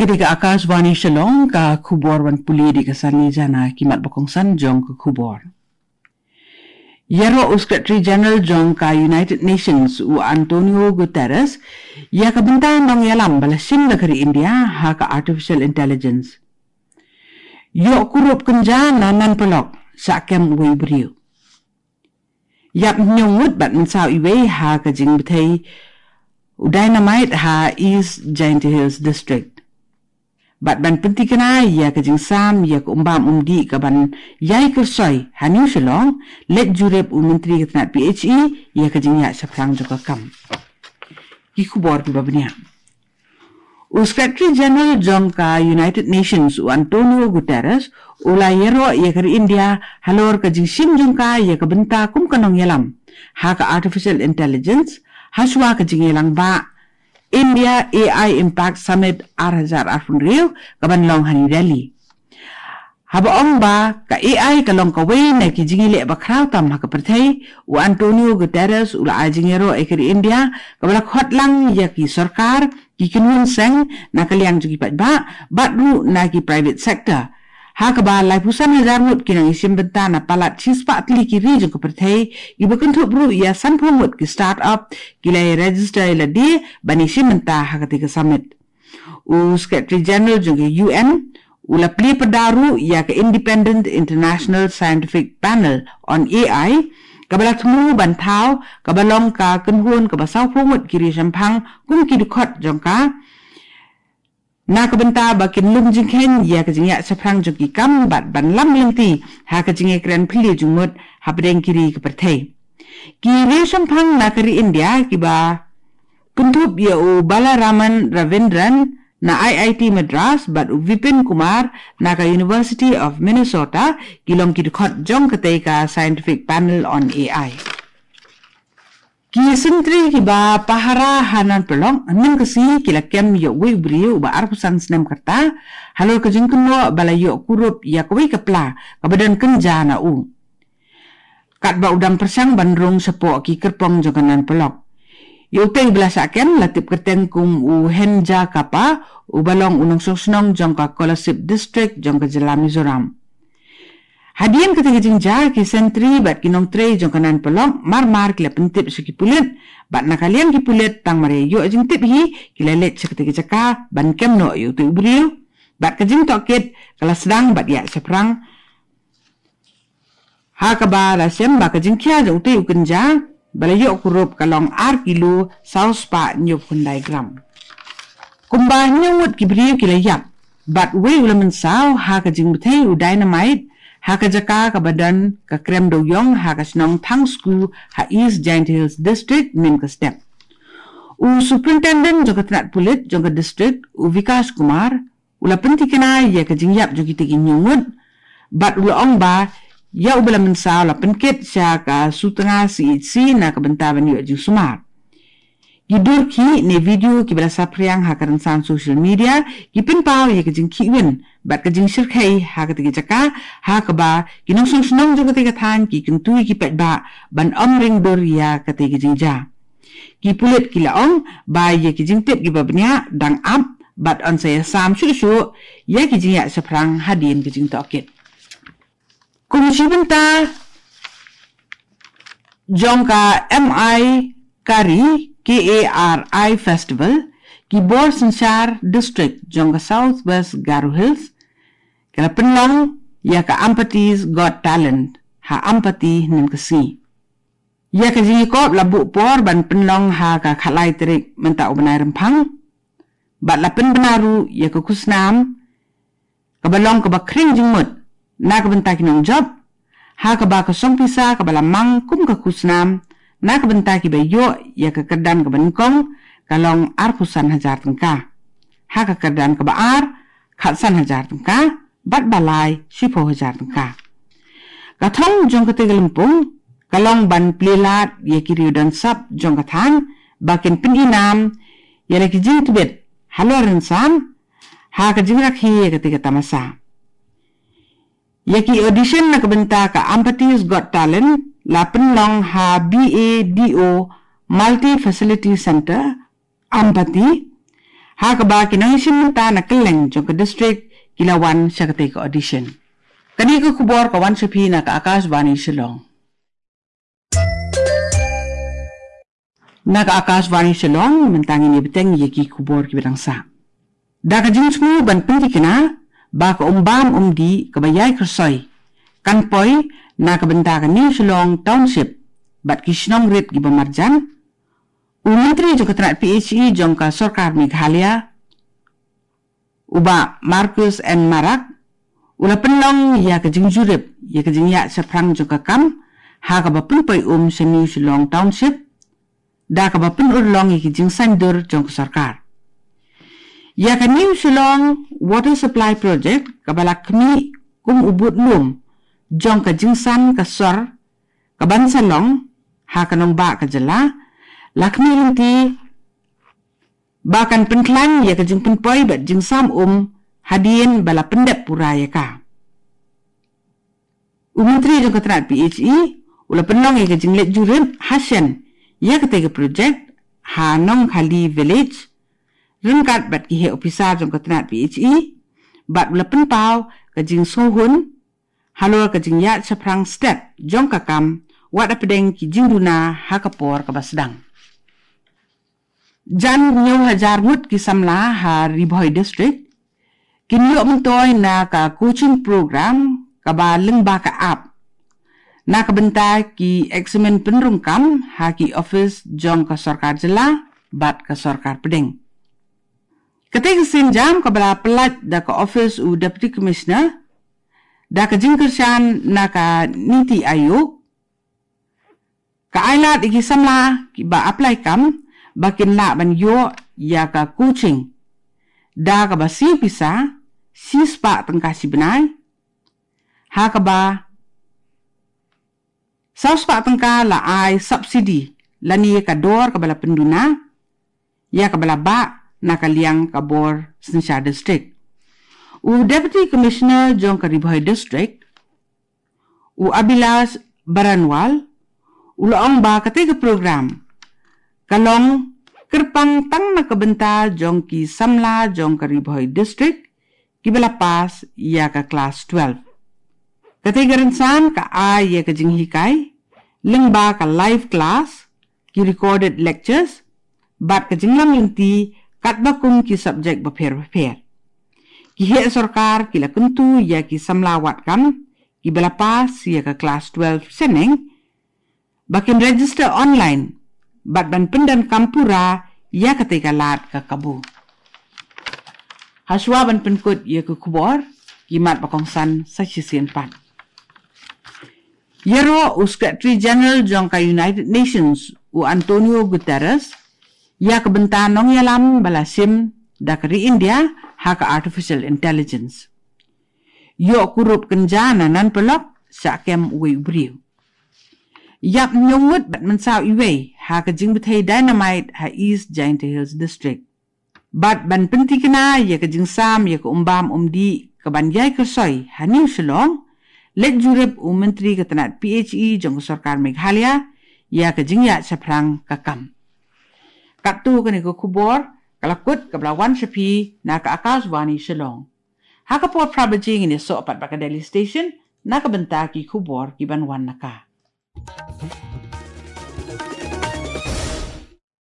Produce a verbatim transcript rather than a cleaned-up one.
Kane ka Akashvani Shillong, ka khubor ban pule da ka Sani Jana. Ki mat ba kongsan jong ka khubor. Ïaroh u Secretary General jong ka United Nations u Antonio Guterres ïa ka bynta nongïalam ba la shim da ka ri India ha ka artificial intelligence. Ïoh kurup kynja na Nanpolok, shah kem uwei u briew. Ïap hynñiew ngut bad mynsaw iwei ha ka jingbthei u dynamite ha East Jaintia Hills District. Bad ban pyntikna ïa ka jingsam ïa ka umbam umdih ka ban ïai kyrsoi ha New Shillong, leit jurip u Myntri ka tnat P H E ïa ka jingïaid shaphrang jong ka kam. Ki khubor kiba bniah. U Secretary General jong ka United Nations u Antonio Guterres u la ïaroh ïa ka ri India halor ka jingshim jong ka ïa ka bynta kum ka nongïalam ha ka artificial intelligence, hashwa ka jingïalang ba India A I Impact Summit ar hajar arphew hynriew ka ban long ha New Delhi. Haba ong ba ka A I ka long kawei na ki jingïaleh ba khraw tam ha ka pyrthei, u Antonio Guterres u la ai jingïaroh ïa ka ri India kaba la khot lang ïa ki sorkar, ki kynhun seng na ka liang jong ki paidbah bad ruh na ki private sector, ha kaba laiphew san hajar ngut ki nongïashim bynta na palat shispah tylli ki ri jong ka pyrthei, kiba kynthup ruh ïa sanphew ngut ki start-up ki la register ïa lade ban ïashim bynta ha katei ka summit. U Secretary General jong ka U N u la plie pyrda ruh ïa ka Independent International Scientific Panel on A I kaba la thmu ban thaw, kaba long ka kynhun kaba sawphew ngut ki ri shemphang kum ki dkhot jong ka, na ka bynta ba kin lum jingkheiñ ïa ka jingïaid shaphrang jong ki kam bad ban lam lynti ha ka jingïakren phylliew jingmut hapdeng ki ri ka pyrthei. Ki ri shemphang na ka ri India kiba kynthup ïa u Balaraman Ravindran na I I T Madras bad u Vipin Kumar na ka University of Minnesota ki long ki dkhot jong katei ka Scientific Panel on A I. Ki sentri kiba pahara ha Nanpolok mynta ka sngi ki la kem ïa uwei u briew uba arphew san snem ka rta halor ka jingkynnoh ba la ïoh kurup ïa kawei ka pla kaba don kynja na u. Katba u dang pyrshang ban rung shapoh ki kyrpong jong ka Nanpolok. Ïa utei uba la shah kem la tip kyrteng kum u Henja Kapa, uba long u nongshong shnong jong ka Kolasib District jong ka jylla Mizoram. Hadien katei ka jingjia, ki sentri bad ki nongtrei jong ka Nanpolok mar mar ki la pyntip sha ki pulit bad na ka liang ki pulit tang mar ïa ïoh jingtip hi ki la leit sha katei ka jaka ban kem noh ïa utei u briew. Bad ka jingtohkit ka la sdang bad ïaid shaphrang, ha kaba la shem ba ka jingkhia jong utei u kynja ba la ïoh kurup ka long ar kilo saw spah hynñiewphew khyndai gram. Kumba hynñiew ngut ki briew ki la ïap bad uwei u la mynsaw ha ka jingbthei u dynamite ha ka jaka kaba don ka krem dewïong ha ka shnong Thangsku ha East Jaintia Hills District mynta ka step. U Superintendent jong ka tnat pulit jong ka district u Vikash Kumar u la pyntikna ïa ka jingïap jong kitei ki hynñiew ngut bad u la ong ba ïa uba la mynsaw la pynkit sha ka Sutnga C H C na ka bynta ban ïoh jingsumar. Ki dur khih ne video kiba la saphriang ha ka rynsan social media ki pynpaw ïa ka jingkhih win bad ka jingshyrkhei ha katei ka jaka, ha kaba ki nongshong shnong jong katei ka thaiñ ki kyntu ïa ki paidbah ban ym ring dur ïa katei ka jingjia. Ki pulit ki la ong ba ïa ki jingtip kiba bniah dang ap bad yn sa ïasam shuh shuh ïa ki jingïaid shaphrang hadien ka jingtohkit. Kum shi bynta jong ka M I Kari, K A R I Festival, ki bor synshar district jong ka South West Garo Hills ki la pynlong ïa ka Ampaty's Got Talent ha Ampaty mynta ka sngi. Ïa ka jingïakop la buh por ban pynlong ha ka khatlai tarik mynta u bnai Rymphang bad la pynbna ruh ïa ka khusnam kaba long kaba khring jingmut na ka bynta ki nongjop, ha kaba ka song pisa kaba la mang kum ka khusnam na ka bynta kiba ïoh ïa ka kyrdan kaba nyngkong ka long arphew san hajar tyngka, ha ka kyrdan kaba ar khatsan hajar tyngka bad ba lai shiphew hajar tyngka. Ka thong jong katei ka lympung ka long ban plie lad ïa ki riew don sap jong ka thaiñ ba kin pyni nam ïa la ki jingtbit halor rynsan ha ka jingrakhe ïa katei ka tamasa. Ïa ki audition na ka bynta ka Ampaty's Got Talent la pynlong ha B A D O Multi Facility Centre, Ampaty, Ha kaba ki nongïashim bynta na kylleng jong ka district ki la wan sha katei ka audition. Kane ka khubor ka wan sha phi na ka Akashvani Shillong. Na ka Akashvani Shillong, mynta ngin ïa bteng ïa ki khubor kiba dang sah. Da ka jingsngew ban pynthikna ba ka umbam umdih kaba ïai kyrsoi kan poi na ka bynta ka New Shillong Township bad ki shnong rit kiba marjan, u Myntri jong ka tnat P H E jong ka Sorkar Meghalaya, u Bah Marcuise N Marak, u la pynlong ïa ka jingjurip ïa ka jingïaid shaphrang jong ka kam ha kaba pynpoi um sha New Shillong Township da kaba pynurlong ïa ki jingsaiñdur jong ka sorkar. Ïa ka New Shillong Water Supply Project kaba la khmih kum u budlum jong ka jingsan ka sor kaban sa long ha ka nongbah ka jylla, la khmih lynti ba kan pynkhlaiñ ïa ka jingpynpoi bad jingsam um hadien ba la pyndep pura ïa ka. U Myntri jong ka tnat P H E u la pynlong ïa ka jingleit jurip hashen ïa katei ka project ha Nongkhali Village ryngkat bad ki heh ophisar jong ka tnat P H E bad u la pynpaw ka jingsngewhun halor ka jingïaid shaphrang stet jong ka kam, wat hapdeng ki jingduna ha ka por kaba sdang. Jan hynñiew hajar ngut ki samla ha Ri Bhoi District kin ïoh myntoi na ka coaching program kaba lyngba ka app na ka bynta ki eksamin pynrung kam ha ki ophis jong ka sorkar jylla bad ka sorkar pdeng. Katei ka sienjam kaba la pyllait da ka ophis u Deputy Commissioner da ka jingkyrshan na ka NITI Aayog, ka ai lad ïa ki samla kiba apply kam ba kin lah ban ïoh ïa ka coaching da kaba siew pisa shispah tyngka shi bnai, ha kaba saw spah tyngka la ai subsidy lane ka dor kaba la pynduna ïa kaba la bah na ka liang ka bor synshar district. U Deputy Commissioner jong ka Ri Bhoi District, u Abhilash Baranwal, u la ong ba katei ka program ka long kyrpang tang na ka bynta jong ki samla jong ka Ri Bhoi District kiba la pass ïa ka klas twelve. Katei ka rynsan ka ai ïa ka jinghikai lyngba ka live class, ki recorded lectures bad ka jinglam lynti katba kum ki subject bapher bapher. Ki heh sorkar ki la kyntu ïa ki samla wad kam kiba la pass ïa ka klas twelve shaneng ba kin register online bad ban pyndonkam pura ïa katei ka lad ka kabu. Hashwa ban pynkut ïa ka khubor, ki mat ba kongsan sa shisien pat. Ïaroh u Secretary General jong ka United Nations, u Antonio Guterres, ïa ka bynta nongïalam ba la shim da ka ri India ha ka artificial intelligence. Ïoh kurup kynja na nan paralok sha kem uwei u briew. Ïap hynñiew ngut bad mynsaw iwei ha ka jingbthei dynamite ha East Jaintia Hills District. Bad ban pynthikna ïa ka jingsam ïa ka umbam umdih kaban ïai kyrsoi ha New Shillong, leit jurip u Myntri ka tnat P H E jong ka sorkar Meghalaya ïa ka jingïaid shaphrang ka kam. Katto kane ka khubor ka la kut kaba la wan sha phi na ka Akashvani Shillong. Ha ka por phra baje ngin ïasoh pat bad ka Delhi Station na ka bynta ki khubor kiban wan na ka.